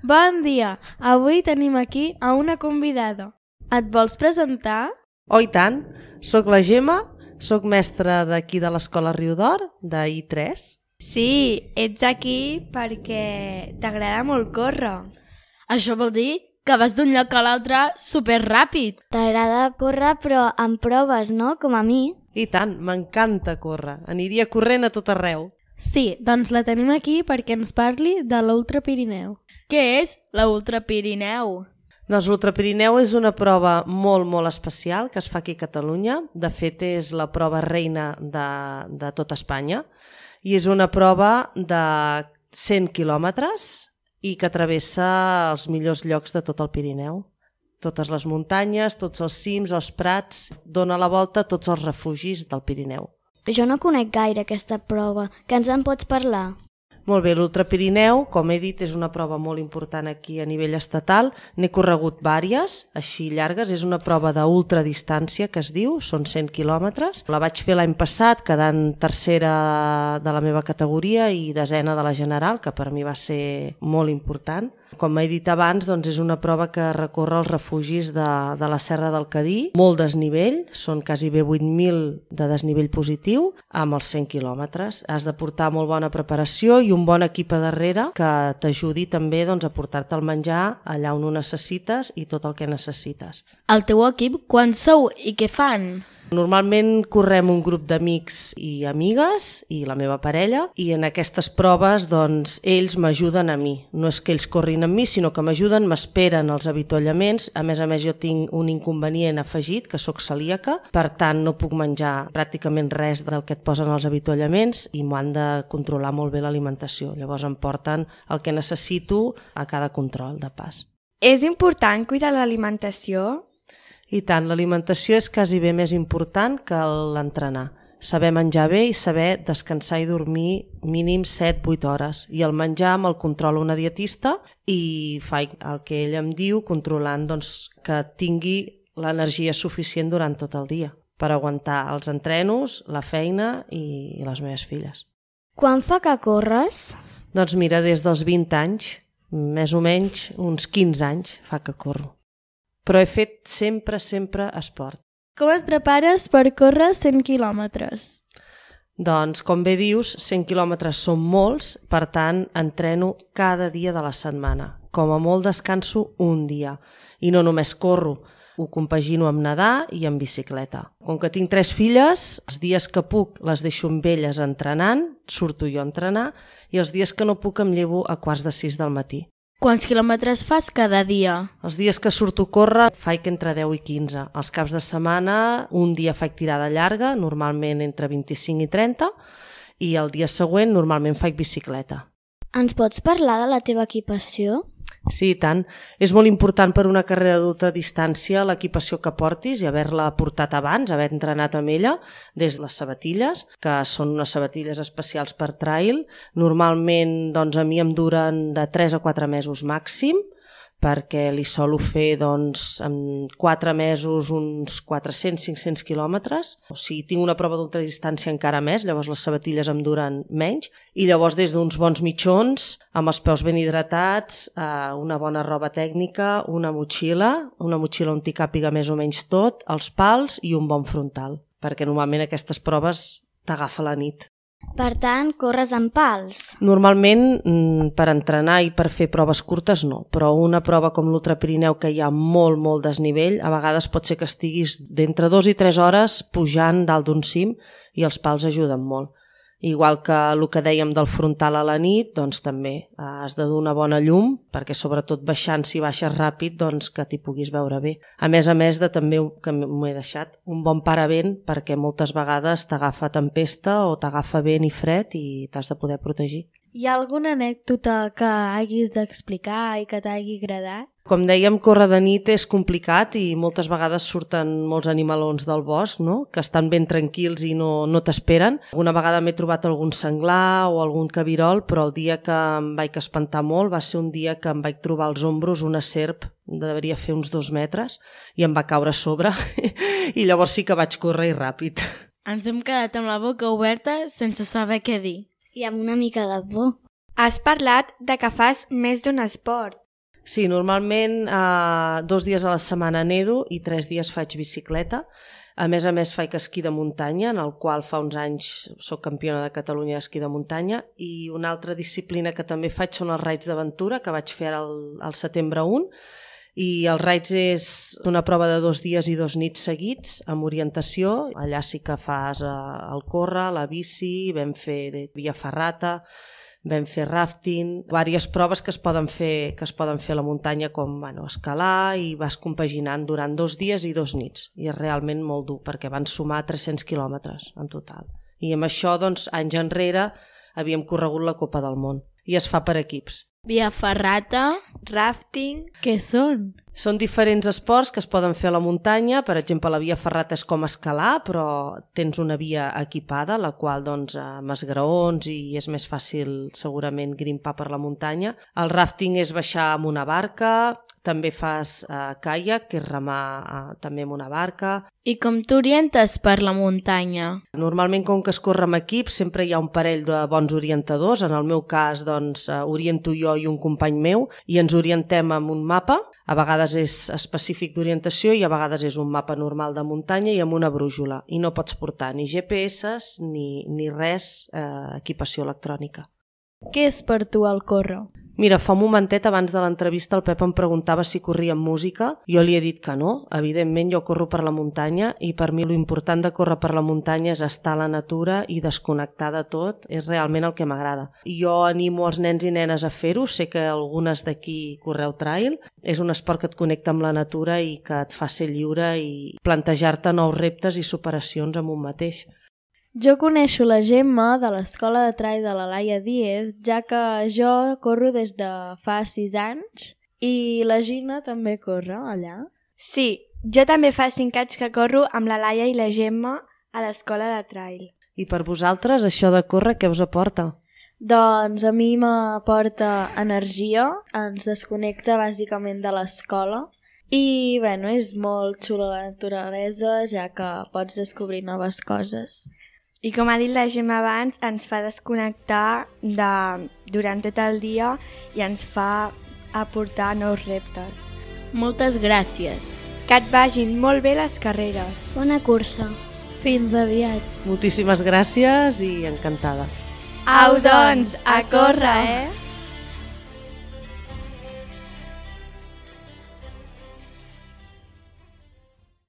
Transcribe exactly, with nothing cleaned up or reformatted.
Bon dia! Avui tenim aquí a una convidada. Et vols presentar? Oh, i tant! Soc la Gemma, soc mestra d'aquí de l'Escola Riudor, de I tres. Sí, ets aquí perquè t'agrada molt córrer. Això vol dir que vas d'un lloc a l'altre superràpid. T'agrada córrer però amb proves, no? Com a mi. I tant, m'encanta córrer. Aniria corrent a tot arreu. Sí, doncs la tenim aquí perquè ens parli de l'Ultra Pirineu. Què és la Ultra Pirineu? Doncs l'Ultra Pirineu és una prova molt, molt especial que es fa aquí a Catalunya. De fet, és la prova reina de, de tot Espanya. I és una prova de cent quilòmetres i que travessa els millors llocs de tot el Pirineu. Totes les muntanyes, tots els cims, els prats, dona la volta a tots els refugis del Pirineu. Jo no conec gaire aquesta prova. Què ens en pots parlar? Molt bé, l'Ultra Pirineu, com he dit, és una prova molt important aquí a nivell estatal. N'he corregut vàries, així llargues. És una prova d'ultradistància, que es diu, són cent quilòmetres. La vaig fer l'any passat, quedant tercera de la meva categoria i desena de la general, que per mi va ser molt important. Com he dit abans, doncs és una prova que recorre els refugis de, de la Serra del Cadí. Molt desnivell, són quasi bé vuit mil de desnivell positiu, amb els cent quilòmetres. Has de portar molt bona preparació i un bon equip a darrere que t'ajudi també doncs, a portar-te el menjar allà on ho necessites i tot el que necessites. El teu equip, quan sou i què fan? Normalment correm un grup d'amics i amigues i la meva parella i en aquestes proves doncs, ells m'ajuden a mi. No és que ells corrin amb mi, sinó que m'ajuden, m'esperen els avituallaments. A més a més jo tinc un inconvenient afegit, que sóc celíaca, per tant no puc menjar pràcticament res del que et posen els avituallaments i m'ho han de controlar molt bé l'alimentació. Llavors em porten el que necessito a cada control de pas. És important cuidar l'alimentació? I tant, l'alimentació és quasi bé més important que l'entrenar. Saber menjar bé i saber descansar i dormir mínim set vuit hores. I el menjar me'l controla una dietista i faig el que ell em diu, controlant doncs, que tingui l'energia suficient durant tot el dia per aguantar els entrenos, la feina i les meves filles. Quan fa que corres? Doncs mira, des dels vint anys, més o menys uns quinze anys fa que corro. Però he fet sempre, sempre esport. Com et prepares per córrer cent quilòmetres? Doncs, com bé dius, cent quilòmetres són molts, per tant, entreno cada dia de la setmana. Com a molt descanso un dia. I no només corro, ho compagino amb nedar i amb bicicleta. Com que tinc tres filles, els dies que puc les deixo amb elles entrenant, surto jo a entrenar, i els dies que no puc em llevo a quarts de sis del matí. Quants quilòmetres fas cada dia? Els dies que surto a córrer faig entre deu i quinze. Els caps de setmana un dia faig tirada llarga, normalment entre vint-i-cinc i trenta, i el dia següent normalment faig bicicleta. Ens pots parlar de la teva equipació? Sí, i tant. És molt important per una carrera d'ultra distància l'equipació que portis i haver-la portat abans, haver entrenat amb ella, des de les sabatilles, que són unes sabatilles especials per trail. Normalment doncs, a mi em duren de tres a quatre mesos màxim, perquè li solo fer doncs, en quatre mesos uns quatre-cents a cinc-cents quilòmetres. O sigui, tinc una prova d'ultradistància encara més, llavors les sabatilles em duren menys. I llavors des d'uns bons mitjons, amb els peus ben hidratats, una bona roba tècnica, una motxilla, una motxilla on t'hi càpiga més o menys tot, els pals i un bon frontal, perquè normalment aquestes proves t'agafa la nit. Per tant, corres amb pals? Normalment, per entrenar i per fer proves curtes, no. Però una prova com l'Ultra Pirineu, que hi ha molt, molt desnivell, a vegades pot ser que estiguis d'entre dues i tres hores pujant dalt d'un cim i els pals ajuden molt. Igual que el que dèiem del frontal a la nit, doncs també has de donar una bona llum, perquè sobretot baixant, si baixes ràpid, doncs que t'hi puguis veure bé. A més a més de també, que m'ho he deixat, un bon paravent, perquè moltes vegades t'agafa tempesta o t'agafa vent i fred i t'has de poder protegir. Hi ha alguna anècdota que hagis d'explicar i que t'hagi agradat? Com dèiem, córrer de nit és complicat i moltes vegades surten molts animalons del bosc, no? Que estan ben tranquils i no, no t'esperen. Alguna vegada m'he trobat algun senglar o algun cabirol, però el dia que em vaig espantar molt va ser un dia que em vaig trobar als ombros una serp, devia fer uns dos metres, i em va caure a sobre i llavors sí que vaig córrer i ràpid. Ens hem quedat amb la boca oberta sense saber què dir. I amb una mica de por. Has parlat de que fas més d'un esport. Sí, normalment eh, dos dies a la setmana nedo i tres dies faig bicicleta. A més a més faig esquí de muntanya, en el qual fa uns anys soc campiona de Catalunya d'esquí de muntanya, i una altra disciplina que també faig són els raids d'aventura, que vaig fer ara al, al setembre un, i els raids és una prova de dos dies i dos nits seguits amb orientació. Allà sí que fas eh, el córrer, la bici, vam fer via ferrata, vam fer rafting, diverses proves que es poden fer, que es poden fer a la muntanya, com bueno, escalar, i vas compaginant durant dos dies i dos nits. I és realment molt dur, perquè van sumar tres-cents quilòmetres en total. I amb això, doncs, anys enrere, havíem corregut la Copa del Món. I es fa per equips. Via ferrata, rafting... Què són? Són diferents esports que es poden fer a la muntanya. Per exemple, la via ferrata és com escalar, però tens una via equipada, la qual, doncs, amb esgraons, i és més fàcil segurament grimpar per la muntanya. El rafting és baixar amb una barca, també fas eh, caiac, que és remar eh, també amb una barca. I com t'orientes per la muntanya? Normalment, com que es corre amb equip, sempre hi ha un parell de bons orientadors. En el meu cas, doncs, eh, oriento jo i un company meu, i ens orientem amb un mapa. A vegades és específic d'orientació i a vegades és un mapa normal de muntanya i amb una brújula. I no pots portar ni G P S ni, ni res, eh, equipació electrònica. Què és per tu el córrer? Mira, fa un momentet abans de l'entrevista el Pep em preguntava si corria amb música. Jo li he dit que no. Evidentment jo corro per la muntanya i per mi l'important de córrer per la muntanya és estar a la natura i desconnectar de tot. És realment el que m'agrada. Jo animo els nens i nenes a fer-ho. Sé que algunes d'aquí correu trail. És un esport que et connecta amb la natura i que et fa ser lliure i plantejar-te nous reptes i superacions amb un mateix. Jo coneixo la Gemma de l'escola de trail de la Laia Díez, ja que jo corro des de fa sis anys i la Gina també corre allà. Sí, jo també fa cinc anys que corro amb la Laia i la Gemma a l'escola de trail. I per vosaltres, això de córrer, què us aporta? Doncs a mi m'aporta energia, ens desconnecta bàsicament de l'escola i bueno, és molt xula la naturalesa, ja que pots descobrir noves coses. I com ha dit la Gemma abans, ens fa desconnectar de, durant tot el dia i ens fa aportar nous reptes. Moltes gràcies. Que et vagin molt bé les carreres. Bona cursa. Fins aviat. Moltíssimes gràcies i encantada. Au, doncs, a córrer, eh?